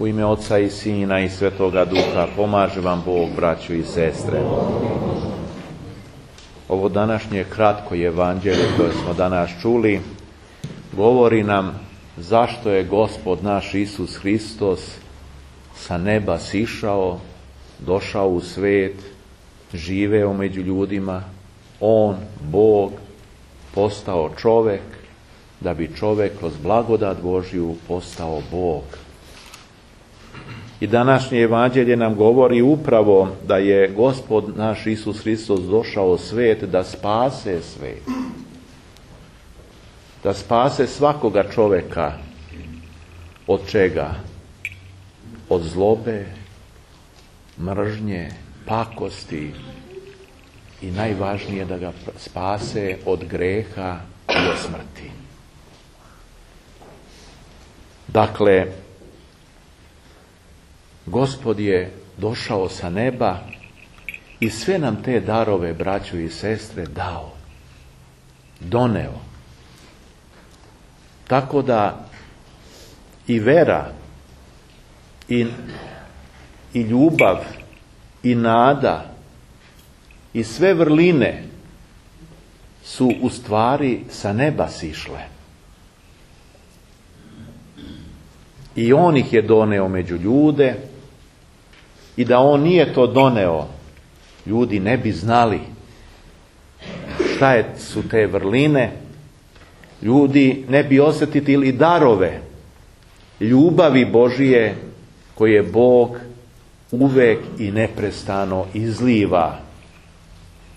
U ime Oca i Sina i Svetoga Duha pomaže vam Bog, braćo i sestre. Ovo današnje kratko evanđelje koje smo danas čuli govori nam zašto je Gospod naš Isus Hristos sa neba sišao, došao u svet, živeo među ljudima, On, Bog, postao čovek, da bi čovek kroz blagodat Božju postao Bog. I današnje evanđelje nam govori upravo da je Gospod naš Isus Hristos došao u svet da spase svet. Da spase svakoga čoveka. Od čega? Od zlobe, mržnje, pakosti i najvažnije da ga spase od greha i od smrti. Dakle, Gospod je došao sa neba i sve nam te darove, braćo i sestre, dao, doneo. Tako da i vera, i ljubav, i nada, i sve vrline su u stvari sa neba sišle. I On ih je doneo među ljude, i da On nije to doneo, ljudi ne bi znali šta su te vrline, ljudi ne bi osjetili darove ljubavi Božije koje Bog uvek i neprestano izliva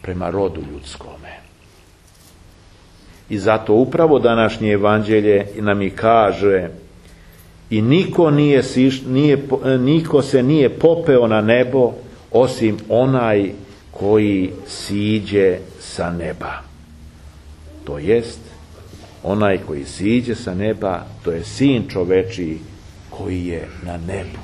prema rodu ljudskome. I zato upravo današnje evanđelje nam i kaže: i niko se nije popeo na nebo osim onaj koji siđe sa neba. To jest, onaj koji siđe sa neba, to je Sin čovečiji koji je na nebu.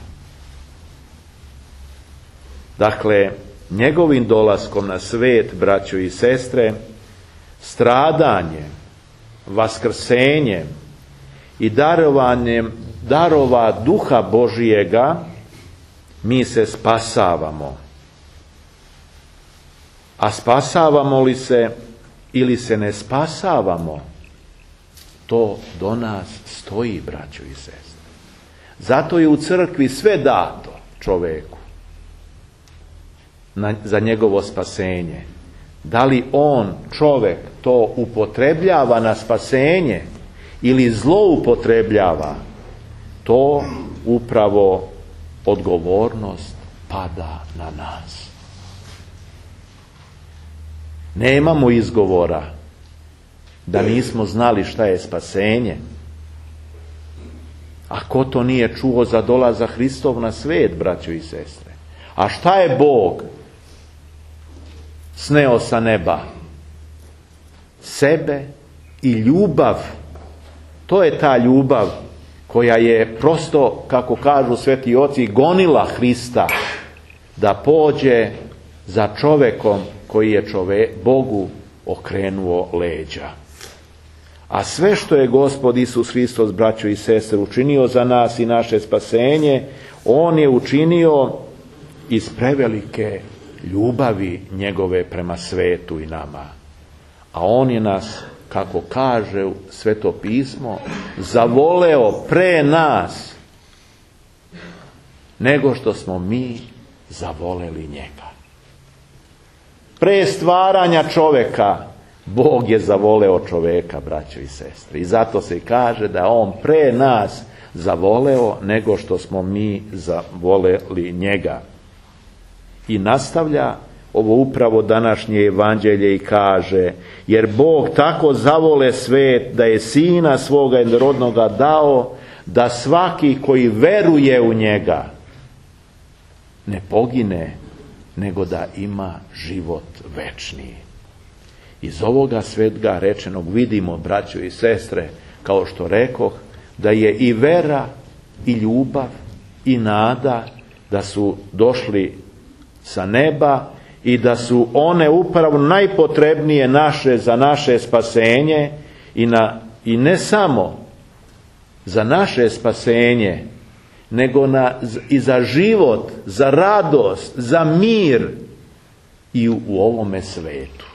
Dakle, njegovim dolaskom na svet, braćo i sestre, stradanjem, vaskrsenjem i darovanjem darova Duha Božijega mi se spasavamo. A spasavamo li se ili se ne spasavamo, to do nas stoji, braćo i sestre. Zato je u crkvi sve dato čoveku za njegovo spasenje. Da li on, čovek, to upotrebljava na spasenje ili zloupotrebljava, to upravo odgovornost pada na nas. Nemamo izgovora da nismo znali šta je spasenje. A ko to nije čuo za dolazak Hristov na svet, braćo i sestre? A šta je Bog sneo sa neba? Sebe i ljubav. To je ta ljubav koja je prosto, kako kažu sveti oci, gonila Hrista da pođe za čovekom koji je Bogu okrenuo leđa. A sve što je Gospod Isus Hristos, braćo i sestre, učinio za nas i naše spasenje, On je učinio iz prevelike ljubavi njegove prema svetu i nama. A On je nas, kako kaže Sveto pismo, zavoleo pre nas nego što smo mi zavoleli njega. Pre stvaranja čoveka Bog je zavoleo čoveka, braćo i sestre. I zato se kaže da On pre nas zavoleo nego što smo mi zavoleli njega. I nastavlja ovo upravo današnje evanđelje i kaže: jer Bog tako zavole svet da je Sina svoga jednorodnoga dao, da svaki koji veruje u njega ne pogine, nego da ima život večni. Iz ovoga svega rečenog vidimo, braćo i sestre, kao što rekoh, da je i vera, i ljubav, i nada, da su došli sa neba i da su one upravo najpotrebnije za naše spasenje i ne samo za naše spasenje, nego i za život, za radost, za mir i u ovome svetu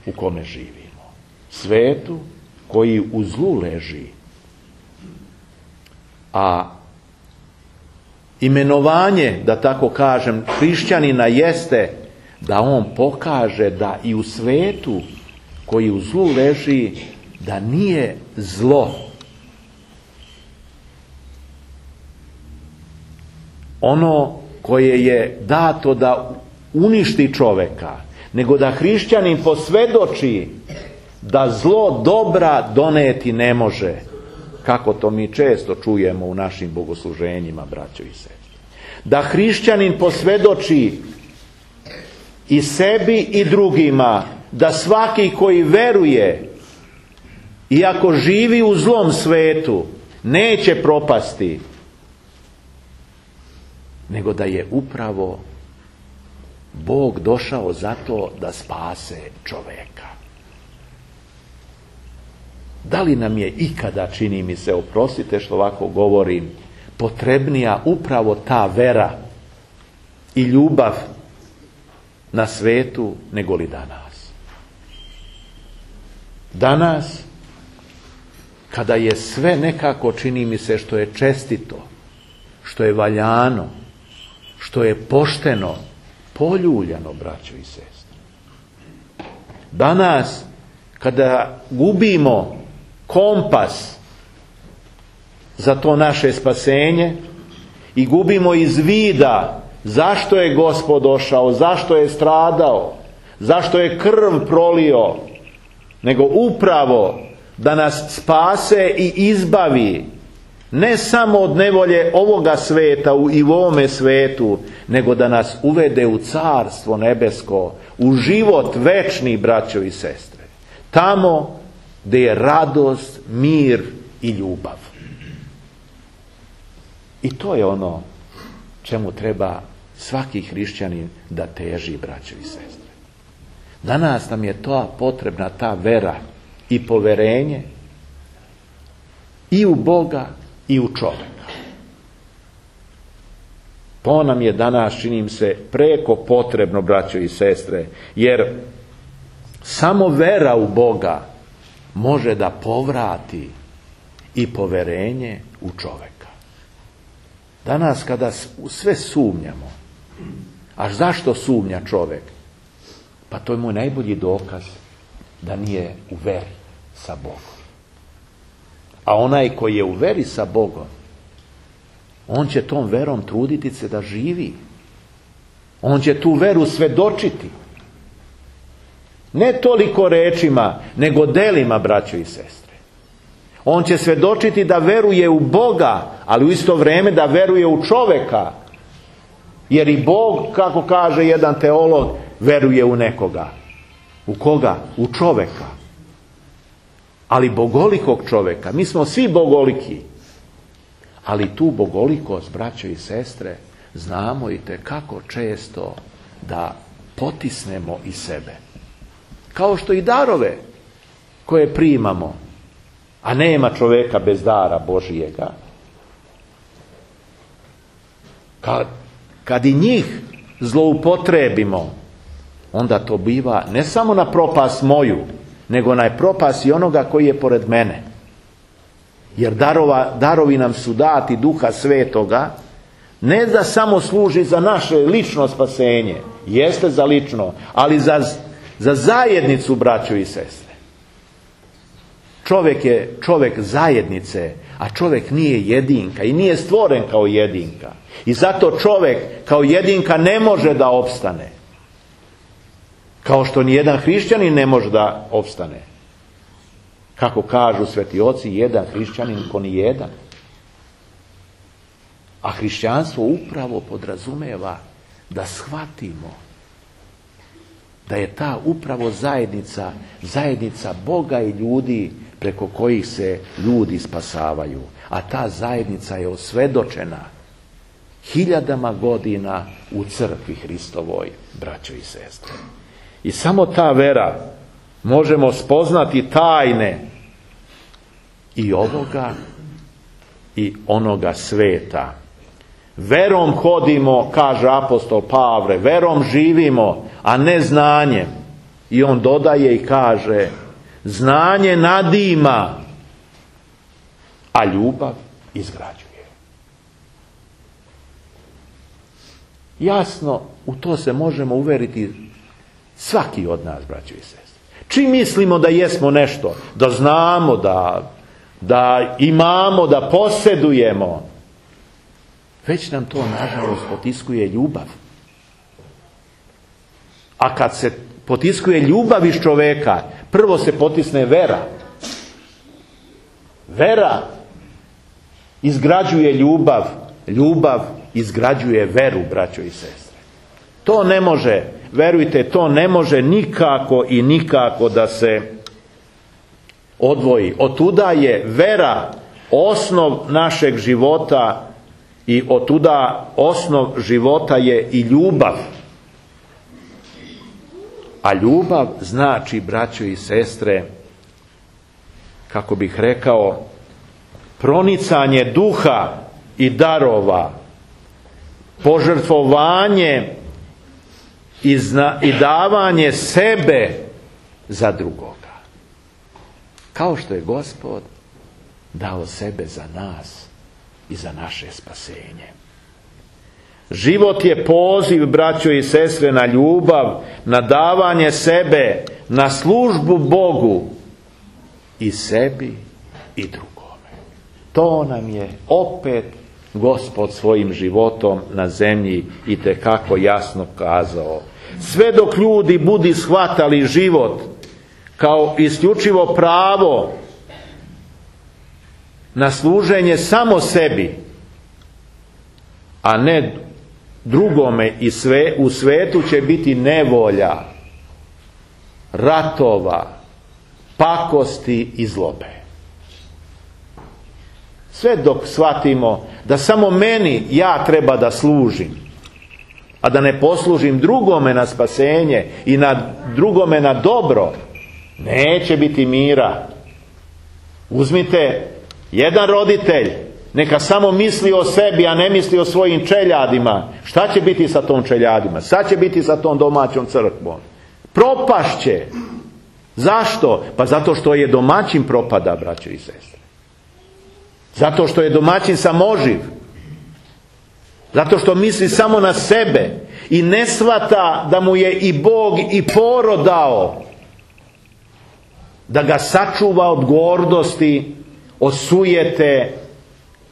u kome živimo. Svetu koji u zlu leži. A imenovanje, da tako kažem, hrišćanina jeste da on pokaže da i u svetu koji u zlu leži, da nije zlo ono koje je dato da uništi čoveka, nego da hrišćanin posvjedoči da zlo dobra doneti ne može, kako to mi često čujemo u našim bogosluženjima, braćo i sestre. Da hrišćanin posvjedoči i sebi i drugima da svaki koji veruje, iako živi u zlom svetu, neće propasti, nego da je upravo Bog došao zato da spase čoveka. Da li nam je ikada, čini mi se, oprostite što ovako govorim, potrebnija upravo ta vera i ljubav na svetu nego li danas? Danas, kada je sve nekako, čini mi se, što je čestito, što je valjano, što je pošteno, poljuljano, braćo i sestre. Danas, kada gubimo kompas za to naše spasenje i gubimo iz vida zašto je Gospod došao, zašto je stradao, zašto je krv prolio, nego upravo da nas spase i izbavi ne samo od nevolje ovoga sveta i u ovome svetu, nego da nas uvede u carstvo nebesko, u život večni, braćo i sestre. Tamo gdje je radost, mir i ljubav. I to je ono čemu treba svaki hrišćanin da teži, braćo i sestre. Danas nam je to potrebna, ta vera i poverenje i u Boga i u čovjeka. To nam je danas, čini mi se, preko potrebno, braćo i sestre, jer samo vera u Boga može da povrati i poverenje u čovjeka. Danas kada sve sumnjamo, a zašto sumnja čovjek? Pa to je moj najbolji dokaz da nije u veri sa Bogom. A onaj koji je u veri sa Bogom, on će tom verom truditi se da živi. On će tu veru svjedočiti. Ne toliko rečima, nego delima, braćo i sestre. On će svjedočiti da veruje u Boga, ali u isto vrijeme da veruje u čovjeka. Jer i Bog, kako kaže jedan teolog, veruje u nekoga. U koga? U čovjeka. Ali bogolikog čovjeka. Mi smo svi bogoliki. Ali tu bogolikost, braćo i sestre, znamo i kako često da potisnemo i sebe. Kao što i darove koje primamo, a nema čovjeka bez dara Božijega. Kad i njih zloupotrebimo, onda to biva ne samo na propast moju, nego na propast i onoga koji je pored mene. Jer darovi nam su dati Duha Svetoga, ne da samo služi za naše lično spasenje, jeste za lično, ali za zajednicu, braćo i sestre. Čovjek je čovjek zajednice, a čovjek nije jedinka i nije stvoren kao jedinka. I zato čovjek kao jedinka ne može da opstane. Kao što nijedan hrišćanin ne može da opstane. Kako kažu sveti oci, jedan hrišćanin ko ni jedan. A hrišćanstvo upravo podrazumeva da shvatimo da je ta upravo zajednica Boga i ljudi preko kojih se ljudi spasavaju. A ta zajednica je osvedočena 1000 godina u crkvi Hristovoj, braćo i sestre. I samo ta vera možemo spoznati tajne i ovoga i onoga sveta. Verom hodimo, kaže apostol Pavle, verom živimo, a ne znanjem. I on dodaje i kaže, znanje nadima, a ljubav izgrađuje. Jasno, u to se možemo uveriti svaki od nas, braćo i sestre. Čim mislimo da jesmo nešto, da znamo, da imamo, da posjedujemo, već nam to, nažalost, potiskuje ljubav. A kad se potiskuje ljubav iz čoveka, prvo se potisne vera. Vera izgrađuje ljubav, ljubav izgrađuje veru, braćo i sestre. To ne može, verujte, to ne može nikako i nikako da se odvoji. Otuda je vera osnov našeg života i otuda osnov života je i ljubav. A ljubav znači, braćo i sestre, kako bih rekao, pronicanje duha i darova, požrtvovanje i davanje sebe za drugoga. Kao što je Gospod dao sebe za nas i za naše spasenje. Život je poziv, braćo i sestre, na ljubav, na davanje sebe, na službu Bogu i sebi i drugome. To nam je opet Gospod svojim životom na zemlji itekako jasno kazao. Sve dok ljudi budi shvatali život kao isključivo pravo na služenje samo sebi, a ne drugome, i u svetu će biti nevolja, ratova, pakosti i zlobe. Sve dok shvatimo da samo meni ja treba da služim, a da ne poslužim drugome na spasenje i na drugome na dobro, neće biti mira. Uzmite jedan roditelj, neka samo misli o sebi, a ne misli o svojim čeljadima. Šta će biti sa tom čeljadima? Šta će biti sa tom domaćom crkvom? Propašće. Zašto? Pa zato što je domaćin propada, braćo i sestre. Zato što je domaćin samoživ. Zato što misli samo na sebe i ne shvata da mu je i Bog i porod dao, da ga sačuva od gordosti, od sujete,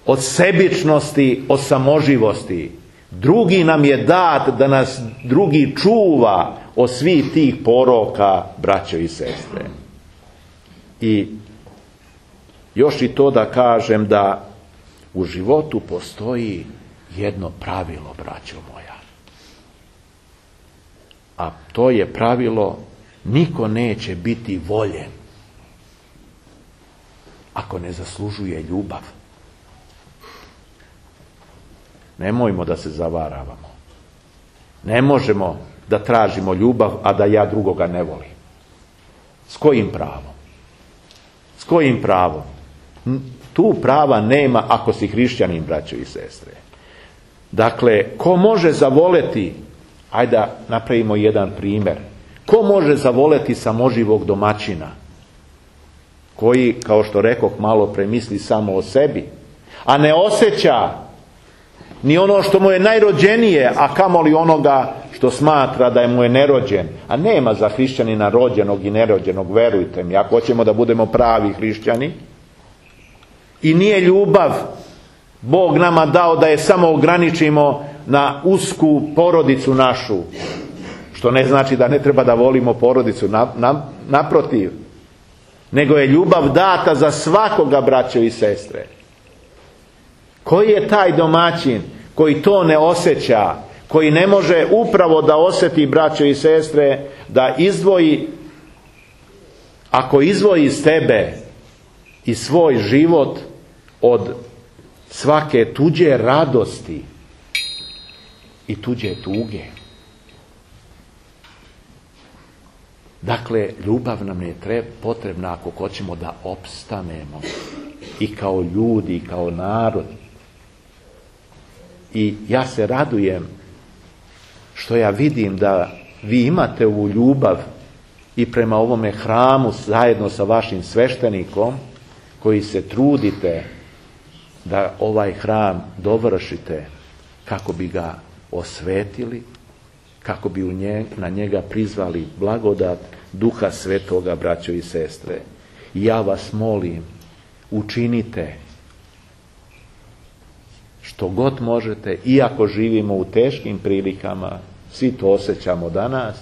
od sebičnosti, od samoživosti. Drugi nam je dat da nas drugi čuva od svih tih poroka, braćo i sestre. I još i to da kažem, da u životu postoji jedno pravilo, braćo moja. A to je pravilo: niko neće biti voljen ako ne zaslužuje ljubav. Nemojmo da se zavaravamo. Ne možemo da tražimo ljubav, a da ja drugoga ne volim. S kojim pravom? S kojim pravom? Tu prava nema ako si hrišćanin, braćo i sestre. Dakle, ko može zavoleti, ajde da napravimo jedan primjer, ko može zavoleti samoživog domaćina, koji, kao što rekoh malo pre, misli samo o sebi, a ne osjeća ni ono što mu je najrođenije, a kamoli onoga što smatra da mu je nerođen. A nema za hrišćanina rođenog i nerođenog, verujte mi, ako hoćemo da budemo pravi hrišćani. I nije ljubav Bog nama dao da je samo ograničimo na usku porodicu našu, što ne znači da ne treba da volimo porodicu, naprotiv, nego je ljubav data za svakoga, braćo i sestre. Koji je taj domaćin koji to ne osjeća, koji ne može upravo da osjeti, braćo i sestre, da izdvoji, ako izdvoji sebe i svoj život od svake tuđe radosti i tuđe tuge. Dakle, ljubav nam je potrebna ako hoćemo da opstanemo. i kao ljudi, i kao narod. I ja se radujem što ja vidim da vi imate ovu ljubav i prema ovome hramu zajedno sa vašim sveštenikom, koji se trudite da ovaj hram dovršite kako bi ga osvetili, kako bi na njega prizvali blagodat Duha Svetoga, braćo i sestre. I ja vas molim, učinite što god možete, iako živimo u teškim prilikama, svi to osjećamo danas,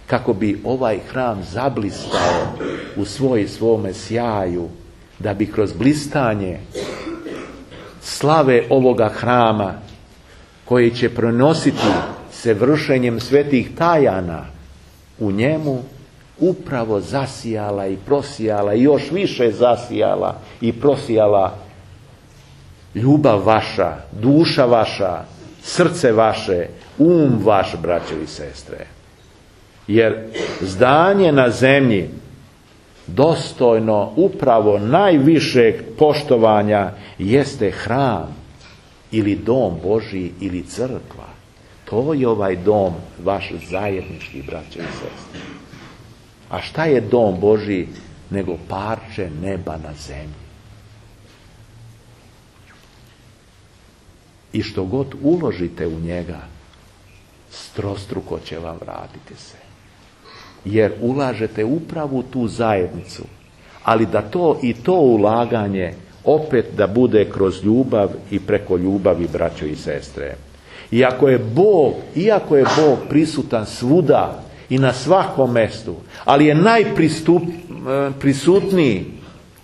kako bi ovaj hram zablistao u svome sjaju, da bi kroz blistanje slave ovoga hrama, koji će prenositi se vršenjem svetih tajana u njemu, upravo zasijala i prosijala i još više zasijala i prosijala ljubav vaša, duša vaša, srce vaše, vaš, braćo i sestre. Jer zdanje na zemlji dostojno upravo najvišeg poštovanja jeste hram ili dom Božji ili crkva. To je ovaj dom vaš zajednički, braćo i sestre. A šta je dom Božji nego parče neba na zemlji? I što god uložite u njega, strostruko će vam vratiti se. Jer ulažete upravo u tu zajednicu, ali da to ulaganje opet da bude kroz ljubav i preko ljubavi, braćo i sestre. Iako je Bog prisutan svuda i na svakom mjestu, ali je najprisutniji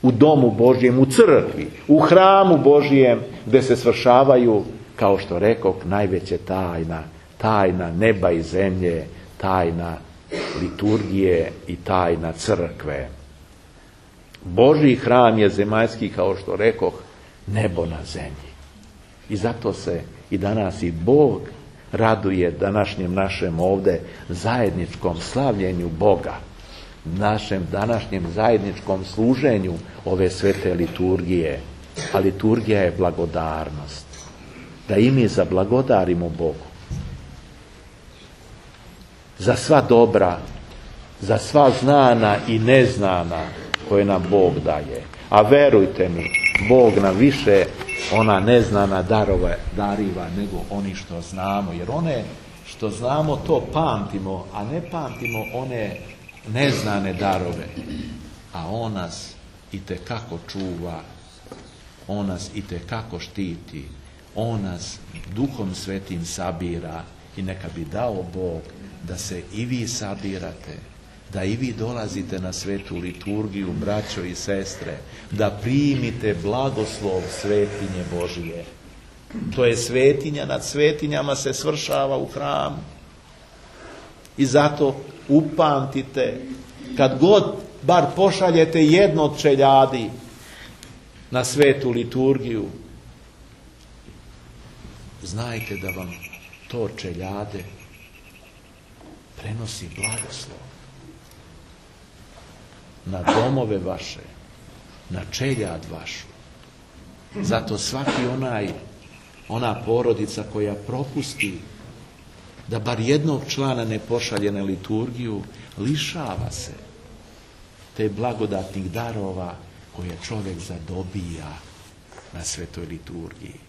u domu Božjem, u crkvi, u hramu Božjem, gdje se svršavaju, kao što rekoh, najveće tajna neba i zemlje, tajna liturgije i tajna crkve. Božji hram je zemaljski, kao što rekoh, nebo na zemlji. I zato se i danas i Bog raduje današnjem našem ovdje zajedničkom slavljenju Boga, našem današnjem zajedničkom služenju ove svete liturgije. A liturgija je blagodarnost. Da i mi zablagodarimo Bogu za sva dobra, za sva znana i neznana koje nam Bog daje. A verujte mi, Bog nam više ona neznana dariva nego oni što znamo. Jer one što znamo to pamtimo, a ne pamtimo one neznane darove. A on nas itekako čuva, on nas itekako štiti, on nas Duhom Svetim sabira i neka bi dao Bog da se i vi sabirate, da i vi dolazite na svetu liturgiju, braćo i sestre, da primite blagoslov svetinje Božije. To je svetinja, nad svetinjama se svršava u hramu. I zato upamtite, kad god bar pošaljete jedno od čeljadi na svetu liturgiju, znajte da vam to čeljade prenosi blagoslov na domove vaše, na čeljad vašu. Zato svaki ona porodica koja propusti da bar jednog člana ne pošalje na liturgiju, lišava se te blagodatnih darova koje čovjek zadobija na svetoj liturgiji.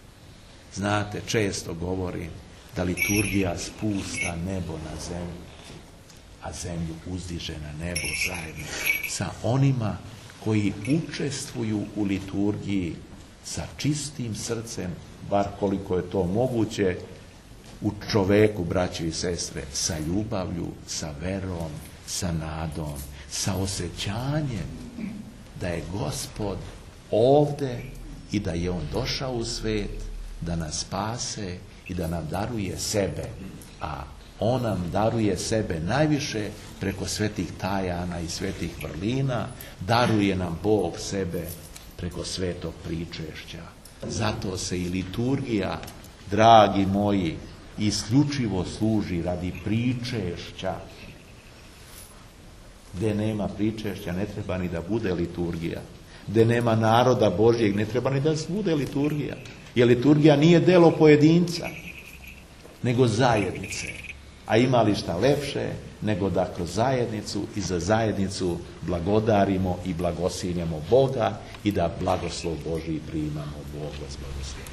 Znate, često govorim da liturgija spusta nebo na zemlju, a zemlju uzdiže na nebo zajedno sa onima koji učestvuju u liturgiji sa čistim srcem, bar koliko je to moguće, u čoveku, braćo i sestre, sa ljubavlju, sa verom, sa nadom, sa osjećanjem da je Gospod ovde i da je On došao u svet da nas spase i da nam daruje sebe, a On nam daruje sebe najviše preko svetih tajana i svetih vrlina, daruje nam Bog sebe preko svetog pričešća. Zato se i liturgija, dragi moji, isključivo služi radi pričešća. Gdje nema pričešća ne treba ni da bude liturgija. gde nema naroda Božjeg, ne treba ni da bude liturgija. Jer liturgija nije delo pojedinca, nego zajednice. A ima li šta lepše nego da kroz zajednicu i za zajednicu blagodarimo i blagosiljamo Boga i da blagoslov Božji primamo. Bog vas blagoslovi.